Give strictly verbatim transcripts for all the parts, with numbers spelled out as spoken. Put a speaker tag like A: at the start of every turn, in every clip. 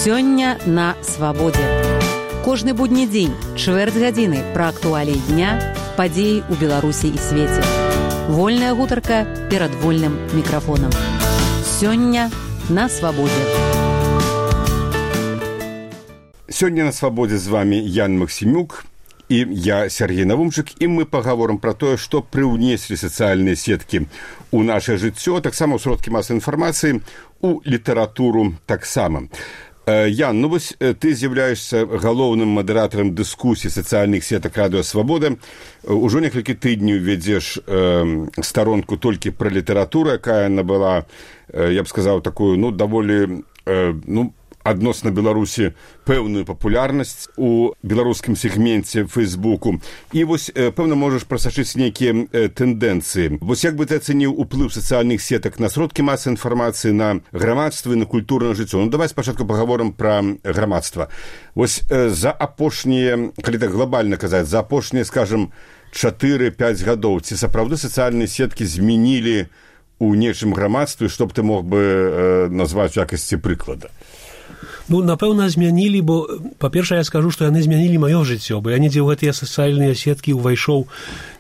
A: Сёння на свабодзе. Кожны будні дзень, чвэрць гадзіны пра актуаліі дня, падзеі ў Беларусі і свеце. Вольная гутарка перад вольным мікрафонам. Сёння на свабодзе.
B: Сёння на свабодзе з вами Ян Максимюк і я, Сергей Навумчык, і мы пагаворым пра тое, што прыўнеслі сацыяльныя сеткі ў нашае жыццё, таксама ў сродкі масавай інфармацыі, у літаратуру таксама. Ян, ну вось ты з'яўляешся галоўным мадэратарам дыскусій сацыяльных сетак радыё Свабода. Ужо некалькі тыдняў вядзеш э, старонку толькі пра літаратуру, якая набыла, э, я б сказаў, такую, ну, даволі, э, ну, адносна Беларусі пэўную папулярнасць у беларускім сегменце Фейсбуку. І вось, пэўна, можаш прасачыць нейкія тэндэнцыі. Вось як бы ты ацэніў уплыў сацыяльных сетак на сродкі масавай інфармацыі, на грамадства і на культурнае жыццё? Ну, давай спачатку пагаворым пра грамадства. Вось за апошнія, калі так глобальна казаць, за апошнія, скажам, чатыры-пяць гадоў, ці сапраўды сацыяльныя сеткі змянілі у нечым грамадстве, што б ты мог бы э, назваць у якасці прыклада?
C: Ну, напэўна, змянілі, бо, па-першае, я скажу, што яны змянілі маё жыццё, бо я недзе ў гэтыя сацыяльныя сеткі ўвайшоў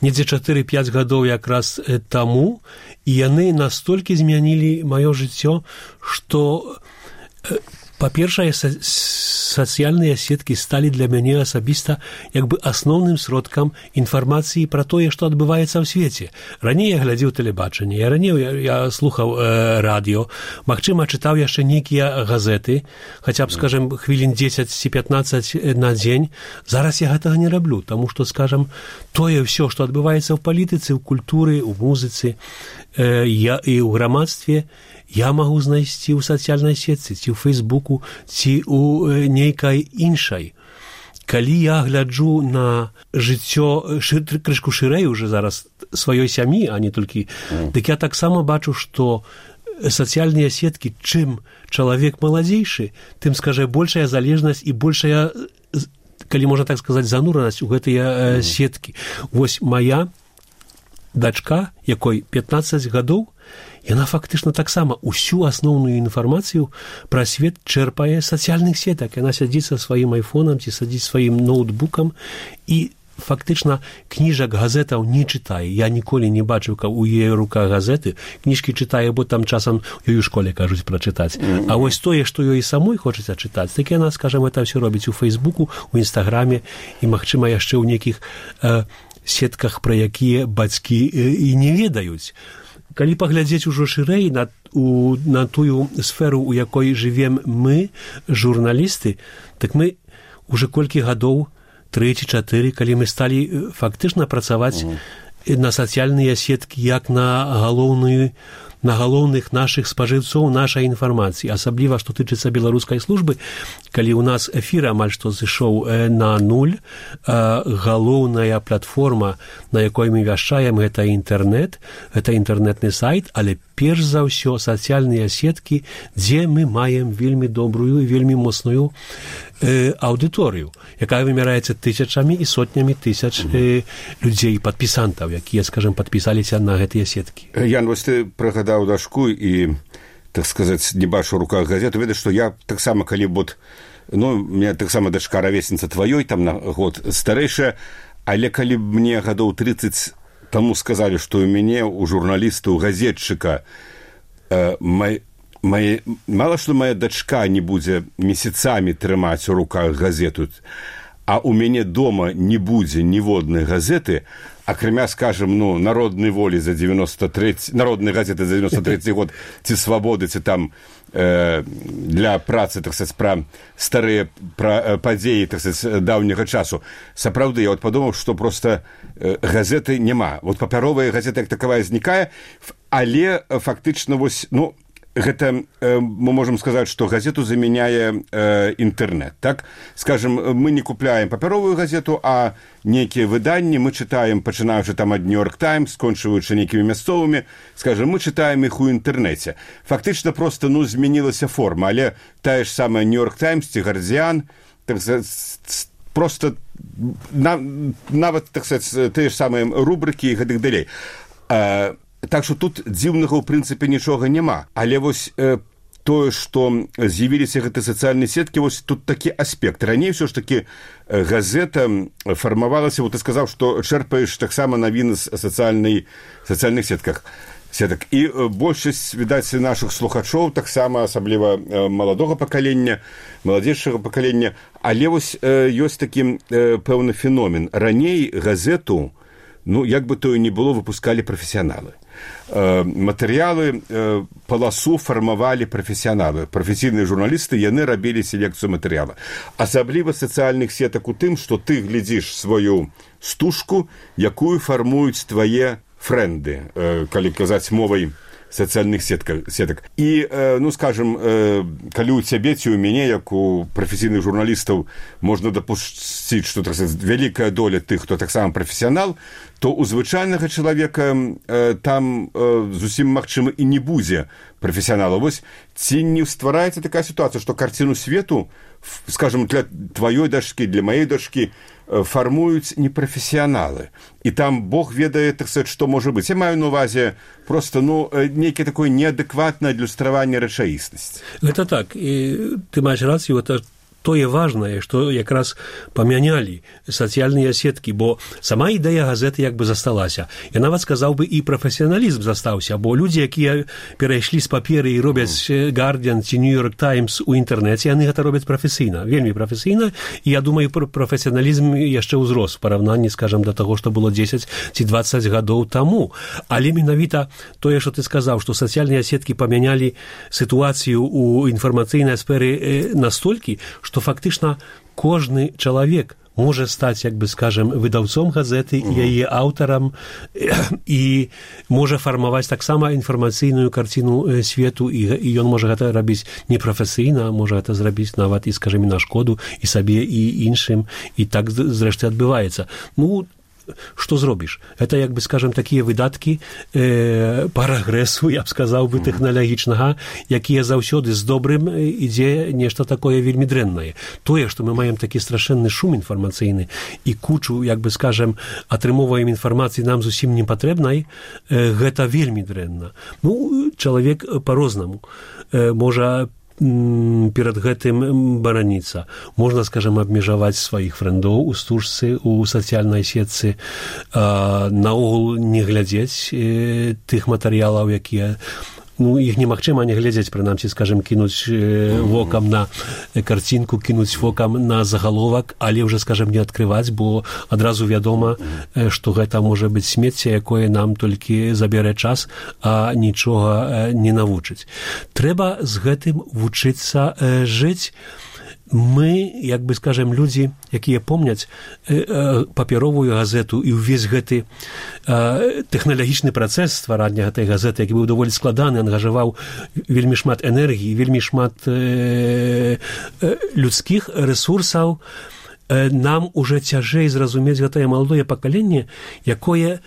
C: недзе чатыры-пяць гадоў якраз таму, і яны настолькі змянілі маё жыццё, што, па-першае, сацыяльныя сеткі сталі для мяне асабіста як бы асноўным сродкам інфармацыі пра тое, што адбываецца ў свеце. Раней я глядзеў тэлебачанне, я раней я, я слухаў э, радыё, магчыма, чытаў яшчэ нейкія газеты, хаця б, скажем, хвілін дзесяць ці пятнаццаць на дзень. Зараз я гэтага не раблю, таму што, скажем, тое ўсё, што адбываецца ў палітыцы, ў культуры, ў музыцы э, я, і ў грамадстве, я магу знайсці ў сацыяльнай сетцы, ці ў Фейсбуку, ці ў нейкай іншай. Калі я гляджу на жыццё шыр, крышку шырэй уже зараз сваёй сям'і, а не толькі, mm. дык я таксама бачу, што сацыяльныя сеткі, чым чалавек маладзейшы, тым, скажа, большая залежнасць і большая, калі можна так сказаць, зануранасць у гэтыя mm. сеткі. Вось моя дачка, якой пятнаццаць гадоў, яна фактычна таксама усю асноўную інфармацыю пра свет чэрпае з сацыяльных сетак. Яна сядзіць са сваім айфонам ці сядзіць сваім ноутбукам і фактычна кніжак, газетаў не чытае. Я ніколі не бачыў, каб у яе руках газеты. Кніжкі чытае, бо там часам ёй у школе кажуць прачытаць. Mm-hmm. А вось тое, што ёй самой хочацца чытаць, так яна, скажам, это ўсё робіць у Фейсбуку, у Інстаграме і, магчыма, яшчэ ў нейкіх э, сетках, пра якія бацькі э, і не ведаюць. Калі паглядзець ужо шырэй на, у, на тую сферу, у якой жывем мы, журналісты, так мы уже колькі гадоў, тры ці чатыры, калі мы сталі фактычна працаваць mm. на сацыяльныя сеткі як на галоўную, на галоўных нашых спажыўцоў нашай інфармацыі, асабліва, што тычыцца беларускай службы, калі ў нас эфір амаль што зышоў на нуль, галоўная платформа, на якой мы вяшчаем, гэта інтэрнэт, гэта інтэрнэтны сайт, але перш за ўсё сацыяльныя сеткі, дзе мы маем вельмі добрую і вельмі моцную э, аўдыторыю, якая вымяраецца тысячамі і сотнямі тысяч э, людзей, падпісантаў, якія, скажем, падпісаліся на гэтыя сеткі.
B: Ян, вось ты прыгадаў дашку і, так сказаць, не бачу ў руках газету, ведаць, што я таксама, калі бот, ну, у меня таксама дачка равесніца тваёй, там на год старэйшая, але калі б мне гадоў трыццаць таму сказалі, што ў мяне, у журналіста, у газетчыка, э, май, май, мала што моя дачка не будзе месяцамі трымаць у руках газету, а у мяне дома не будзе ніводнай газеты, акрамя, скажем, ну, народнай волі за девяносто третий, народнай газеты за девяносто третий год, ці свабоды, ці там э, для працы, так сказаць, пра старыя пра падзеі, так сказаць, даўняга часу. Сапраўды, я вот падумаў, што проста э, газеты няма. Вот папяровая газета як такавая знікае, але фактычна вось, ну, гэта э, мы можам сказаць, што газету замяняе э, інтэрнэт, так? Скажем, мы не купляем папяровую газету, а нейкія выданні мы чытаем, пачынаючы там ад Нью-Йорк Таймс, скончваючы нейкімі мясцовымі, скажем, мы чытаем іх у інтэрнэце. Фактычна проста, ну, змянілася форма, але тая ж самая Нью-Йорк Таймс ці Гардзіан, так сказаць, проста на, нават, так сказаць, тыя ж самыя рубрыкі і гэтых далей. А, так што тут дзіўнага ў прынцыпе нічога няма. Але вось э, тое, што з'явіліся гэтыя сацыяльныя сеткі, вось тут такі аспект. Раней ўсё ж такі газета фармавалася, вот ты сказаў, што чэрпаеш таксама навіны з сацыяльнай, сацыяльных сетках. Сетак. І большасць, відаць, нашых слухачоў, таксама асабліва маладога пакалення, маладзейшага пакалення, але вось ёсць такі пэўны феномен. Раней газету, ну, як бы то і не было, выпускалі прафесіяналы. Матэрыялы, паласу фармавалі прафесіяналы. Прафесійныя журналісты, яны рабілі селекцыю матэрыяла. Асабліва сацыяльных сетак у тым, што ты глядзіш сваю стужку, якую фармуюць твае фрэнды, калі казаць мовай сацыяльных сетак. І, ну, скажем, калі у цябе ці у мяне, як у прафесійных журналістаў, можна дапусціць, што, так сказаць, вялікая доля тых, хто таксама прафесіянал, то у звычайнага чалавека там зусім магчыма і не будзе прафесіянала. Вось ці не ствараецца такая сітуацыя, што карціну свету, скажем, для тваёй дачкі, для маёй дачкі, фармуюць непрафесіяналы. І там Бог ведае, так сказаць, што можа быць. Я маю на увазе просто, ну, нейкае такое неадэкватнае адлюстраванне рэчаіснасці.
C: Гэта так. І ты маеш рацыю, гэта тое важнае, што якраз памянялі сацыяльныя сеткі, бо сама ідэя газеты як бы засталася. Я нават сказаў бы, і прафесіяналізм застаўся, бо людзі, якія перайшлі з паперы і робяць Guardian ці New York Times у інтэрнэце, яны гэта робяць прафесійна, вельмі прафесійна, і я думаю, прафесіяналізм яшчэ ўзрос у параўнанні, скажам, да таго, што было дзесяць ці дваццаць гадоў таму. Але менавіта тое, што ты сказаў, што сацыяльныя сеткі памянялі сітуацыю ў інфармацыйнай сферы настолькі, што фактычна кожны чалавек можа стаць, як бы, скажем, выдаўцом газеты, uh-huh. яе аўтарам, і можа фармаваць таксама інфармацыйную карціну свету, і, і ён можа гэта рабіць непрафесійна, можа гэта зрабіць нават і, скажем, на шкоду і сабе, і іншым, і так, зрэшты, адбываецца. Ну, што зробіш? Гэта, як бы, скажем, такія выдаткі э, парагрэсу, я б сказаў бы, тэхналагічнага, якія заўсёды з добрым ідзе нешта такое вельмі дрэннае. Тое, што мы маем такі страшэнны шум інфармацыйны і кучу, як бы, скажем, атрымоўваем інфармацыі нам зусім не патрэбнай, э, гэта вельмі дрэнна. Ну, чалавек па-рознаму э, можа перад гэтым бараніцца. Можна, скажем, абмежаваць сваіх фрэндоў у стужцы, у сацыяльнай сетцы, наогул не глядзець э, тых матэрыялаў, якія, ну, іх немагчыма не глядзець, прынамсі, скажем, кінуць э, вокам на карцінку, кінуць вокам на загаловак, але ўжо, скажем, не адкрываць, бо адразу вядома, э, што гэта можа быць смецце, якое нам толькі забярэ час, а нічога э, не навучыць. Трэба з гэтым вучыцца э, жыць. Мы, як бы, скажем, людзі, якія помняць э, э, папяровую газету і ўвесь гэты э, тэхналагічны працэс стварання гэтай газеты, які быў даволі складаны, ангажаваў вельмі шмат энергіі, вельмі шмат э, э, людскіх рэсурсаў, э, нам уже цяжэй зразумець гэтае маладое пакаленне, якое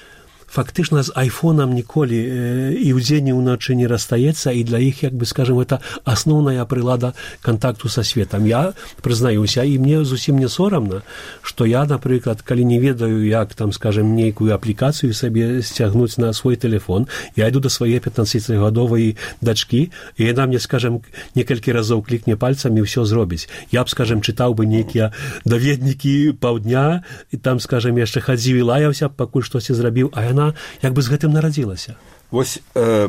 C: фактычна з айфонам ніколі э, і ўдзень, і ўначы не расстаецца, і для іх, як бы, скажем, это асноўная прылада кантакту са светам. Я прызнаюся, і мне зусім не сорамна, што я, напрыклад, калі не ведаю, як там, скажем, нейкую аплікацыю сабе сцягнуць на свой телефон, я іду да свае пятнаццацігадовай дачкі, і яна мне, скажем, некалькі разоў клікне пальцамі і ўсё зробіць. Я б, скажем, чытаў бы нейкія даведнікі паўдня, і там, скажем, яшчэ хадзіў і лаяўся, пакуль штосьці зрабіў, а яна як бы з гэтым нарадзілася.
B: Вось э,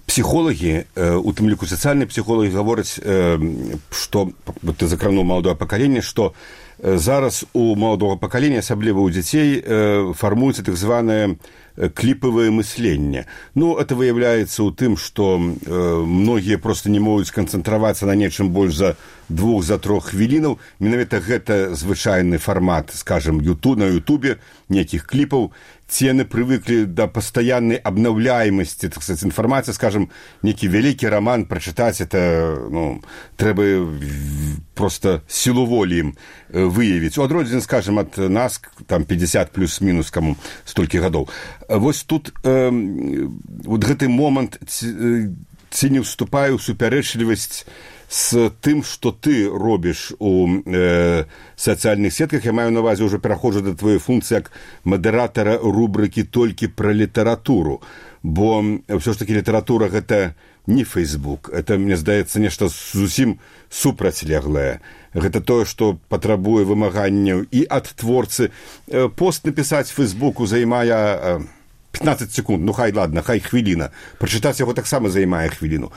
B: псіхолагі, э, у тым ліку сацыяльныя псіхолагі гавораць, э, што, ты закрануў маладое пакаленне, што э, зараз у маладога пакалення, асабліва ў дзяцей, э, фармуецца так званае кліпавае мысленне. Ну, это выяўляецца ў тым, што э, многія проста не могуць канцэнтравацца на нечым больш за двух, за трох хвілінаў. Менавіта гэта звычайны фармат, скажем, ютуб, на ютубе, нейкіх кліпаў. Ці яны прывыклі да пастаяннай абнаўляемасці, так сказаць, інфармацыі, скажем, нейкі вялікі раман прачытаць, это, ну, трэба проста сілу волі ім выявіць. У адрозненні, скажем, ад нас, там, пятьдесят плюс-мінус, каму столькі гадоў. Вось тут э, вот гэты момант, ці, ці не ўступае ў супярэчлівасць з тым, што ты робіш у э, сацыяльных сетках. Я маю на ўвазе, ўжо пераходжу да твоей функцыі як мадэратара рубрыкі «Толькі пра літаратуру», бо ўсё ж такі літаратура — гэта не Facebook. Это, мне здаецца, нешта зусім супрацьлеглае. Гэта тое, што патрабуе вымаганняў і ад творцы. Пост напісаць Фейсбуку займае пятнадцать секунд, ну хай ладно, хай хвіліна. Прачытаць яго таксама займае хвіліну.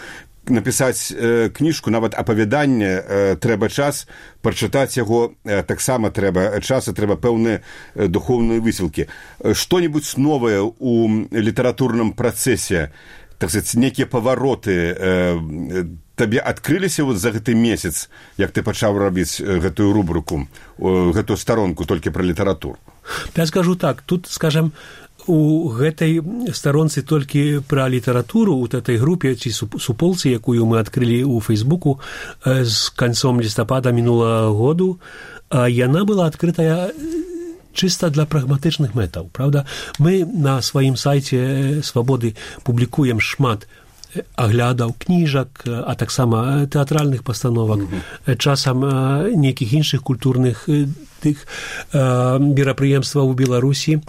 B: Напісаць э, кніжку, нават апавяданне, э, трэба час, прачытаць яго э, таксама трэба час, і трэба пэўныя э, духоўныя высілкі. Што-небудзь новае ў літаратурным працэсе, так сказаць, некія павароты э, табе адкрыліся вот за гэты месяц, як ты пачаў рабіць гэтую рубрыку, гэтую старонку толькі пра літаратуру?
C: Я скажу так, тут, скажем, у гэтай старонцы толькі пра літаратуру, у этой групе ці суполцы, якую мы адкрылі ў Фейсбуку з канцом лістапада мінулага году, яна была адкрытая чыста для прагматычных мэтаў, правда? Мы на сваім сайце Свабоды публікуем шмат аглядаў кніжак, а таксама тэатральных пастановак, mm-hmm. часам нейкіх іншых культурных тых мерапрыемстваў у Беларусі.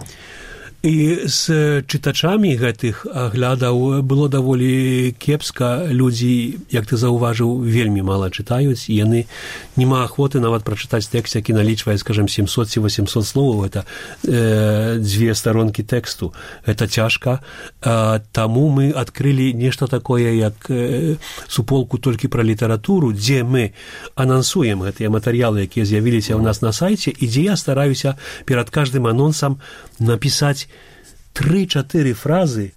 C: І з чытачамі гэтых аглядаў было даволі кепска. Людзі, як ты заўважыў, вельмі мала чытаюць, і яны нема ахвоты нават прачытаць тэкст, які налічвае, скажем, семьсот ці восемьсот словаў. Гэта э, дзве старонкі тэксту. Гэта цяжка. А, таму мы адкрылі нешта такое, як э, суполку толькі пра літаратуру, дзе мы анансуем гэтыя матэрыялы, якія з'явіліся ў нас на сайце, і дзе я стараюся перад каждым анонсам напісаць тры-чатыры фразы,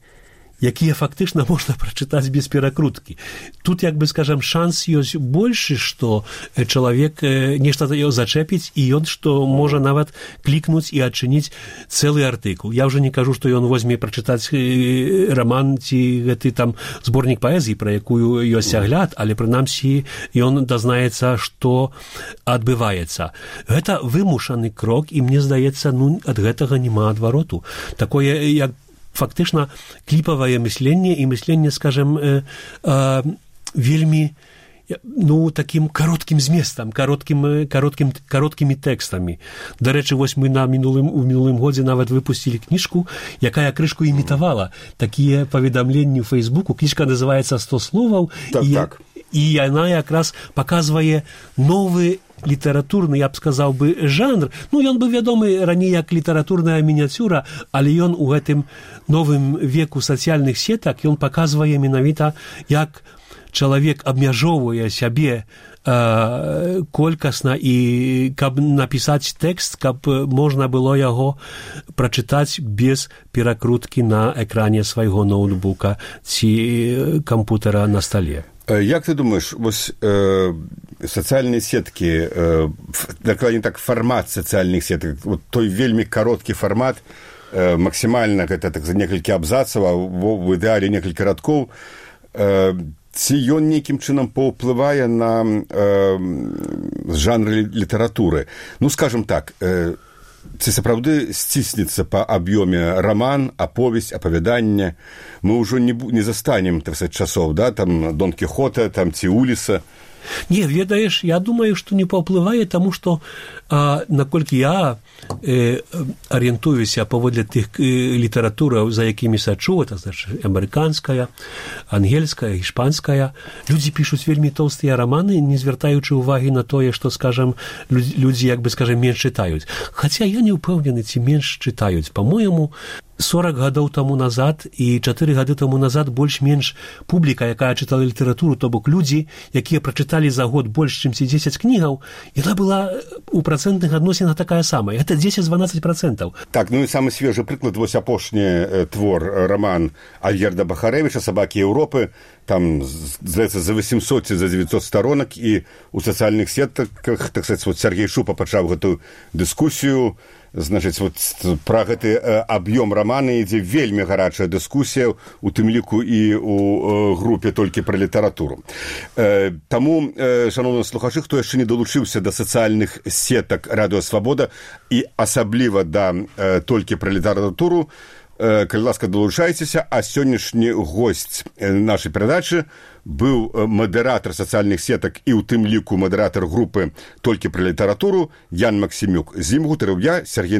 C: якія фактычна можна прачытаць без перакруткі. Тут, як бы, скажам, шанс ёсць большы, што чалавек нешта зачэпіць, і ён што можа нават клікнуць і адчыніць цэлы артыкул. Я ўжо не кажу, што ён возьме прачытаць раман ці гэты там зборнік паэзіі, пра якую ёсць агляд, але прынамсі ён дазнаецца, што адбываецца. Гэта вымушаны крок, і мне здаецца, ну, ад гэтага няма адвароту. Такое, як фактычна кліпавае мысленне і мысленне, скажем, э, э, вельмі, ну, такім кароткім зместам, кароткім, кароткім, кароткімі тэкстамі. Дарэчы, вось мы на мінулым, у мінулым годзе нават выпусцілі кніжку, якая крышку імітавала такія паведамленні ў Фейсбуку. Кніжка называецца «сто словаў»,
B: так,
C: і,
B: так.
C: і яна якраз паказвае новы літаратурны, я б сказаў бы, жанр. Ну, ён быў вядомы раней як літаратурная мініяцюра, але ён у гэтым новым веку сацыяльных сетак, ён паказвае менавіта, як чалавек абмяжоўвае сябе э, колькасна, і каб напісаць тэкст, каб можна было яго прачытаць без перакруткі на экране свайго ноутбука ці кампутера на стале.
B: Як ты думаеш, вось э, сацыяльныя сеткі, э, дакладней так, фармат сацыяльных сетак, вот той вельмі кароткі фармат, э, максімальна гэта так за некалькі абзацаў, а в ідэале некалькі радкоў, э, ці ён нейкім чынам паўплывае на э, жанр літаратуры? Ну, скажем так, э, ці сапраўды сціснецца па аб'ёме раман, аповесць, апавяданне? Мы ўжо не, не застанем, так сказаць, часоў, да, там Дон Кіхота, там ці Уліса.
C: Не, ведаеш, я думаю, што не паўплывае, таму што, а, наколькі я э, арыентуюся паводле тых э, літаратураў, за якімі сачу, это значит амерыканская, ангельская, іспанская, людзі пішуць вельмі тоўстыя раманы, не звяртаючы ўвагі на тое, што, скажам, людзі, як бы, скажем, менш чытаюць. Хаця я не ўпэўнены, ці менш чытаюць. Па-моему, сорок гадоў таму назад і чатыры гады таму назад больш-менш публіка, якая чытала літаратуру, то бок людзі, якія прачыталі за год больш, чым дзесяць кнігаў, яна была у працэнтных адносінах такая самая. Гэта дзесяць-дванаццаць працэнтаў.
B: Так, ну і самы свежы прыклад, вось апошні твор, раман Альгерда Бахарэвіча «Сабакі Еўропы». Там, здаецца, за восемьсот ці за девятьсот сторонак, і у сацыяльных сетках, так сказаць, вот Сергей Шупа пачаў гэту дыскусію. Значыць, вот пра гэты э, аб'ём рамана ідзе вельмі гарачая дыскусія, у тым ліку і у э, групе толькі пра літаратуру. Э, таму, э, шаноўныя слухачы, хто яшчэ не далучыўся да сацыяльных сетак Радыё Свабода і асабліва да э, толькі пра літаратуру, э, калі ласка, далучайцеся, а сённяшні госць нашай перадачы быў мадэратар сацыяльных сетак і ў тым ліку мадэратар групы «Толькі пра літаратуру» Ян Максімюк. З ім гутарыў я, Сергей